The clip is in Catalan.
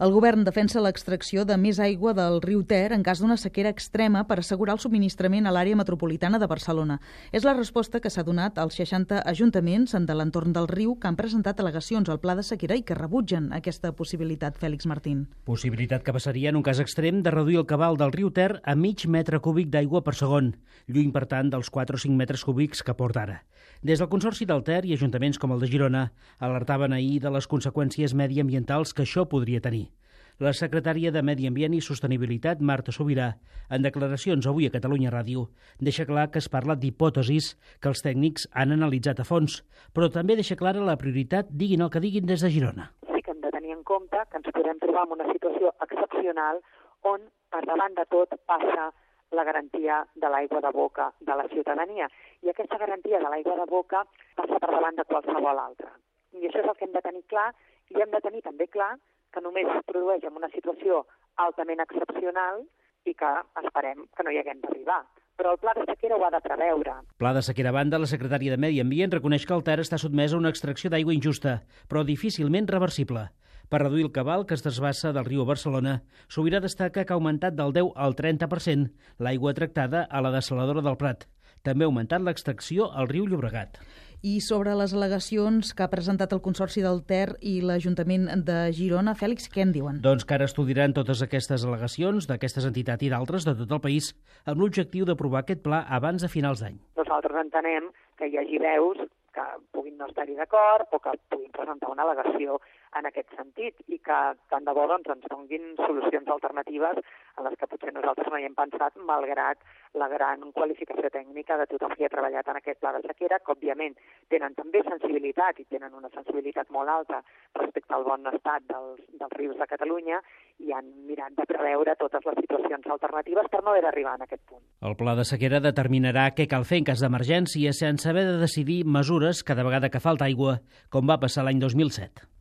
El govern defensa l'extracció de més aigua del riu Ter en cas d'una sequera extrema per assegurar el subministrament a l'àrea metropolitana de Barcelona. És la resposta que s'ha donat als 60 ajuntaments de l'entorn del riu que han presentat al·legacions al pla de sequera i que rebutgen aquesta possibilitat, Fèlix Martín. Possibilitat que passaria en un cas extrem de reduir el cabal del riu Ter a mig metre cúbic d'aigua per segon, lluny per tant dels 4 o 5 metres cúbics que porta ara. Des del Consorci del Ter i ajuntaments com el de Girona alertaven ahir de les conseqüències mediambientals que això podria tenir. La secretària de Medi Ambient i Sostenibilitat, Marta Subirà, en declaracions avui a Catalunya Ràdio, deixa clar que es parla d'hipòtesis que els tècnics han analitzat a fons, però també deixa clara la prioritat, diguin el que diguin des de Girona. Sí que hem de tenir en compte que ens podem trobar en una situació excepcional on, per davant de tot, passa la garantia de l'aigua de boca de la ciutadania. I aquesta garantia de l'aigua de boca passa per davant de qualsevol altra. I això és el que hem de tenir clar, i hem de tenir també clar que només es produeix en una situació altament excepcional i que esperem que no hi haguem d'arribar. Però el pla de sequera ho ha de preveure. Pla de sequera a banda, la secretària de Medi Ambient reconeix que el Ter està sotmès a una extracció d'aigua injusta, però difícilment reversible. Per reduir el cabal que es desbassa del riu a Barcelona, Subirà destaca que ha augmentat del 10 al 30% l'aigua tractada a la dessaladora del Prat. També ha augmentat l'extracció al riu Llobregat. I sobre les al·legacions que ha presentat el Consorci del Ter i l'Ajuntament de Girona, Fèlix, què en diuen? Doncs que ara estudiaran totes aquestes al·legacions d'aquestes entitats i d'altres de tot el país amb l'objectiu d'aprovar aquest pla abans de finals d'any. Nosaltres entenem que hi hagi veus que puguin no estar-hi d'acord o que puguin presentar una al·legació en aquest sentit i que tant de bo ens donin solucions alternatives en les que potser nosaltres no hi hem pensat, malgrat la gran qualificació tècnica de tothom que ha treballat en aquest pla de sequera, que òbviament tenen també sensibilitat i tenen una sensibilitat molt alta respecte al bon estat dels rius de Catalunya i han mirat de preveure totes les situacions alternatives per no haver d'arribar en aquest punt. El pla de sequera determinarà què cal fer en cas d'emergència sense haver de decidir mesures cada vegada que falta aigua, com va passar l'any 2007.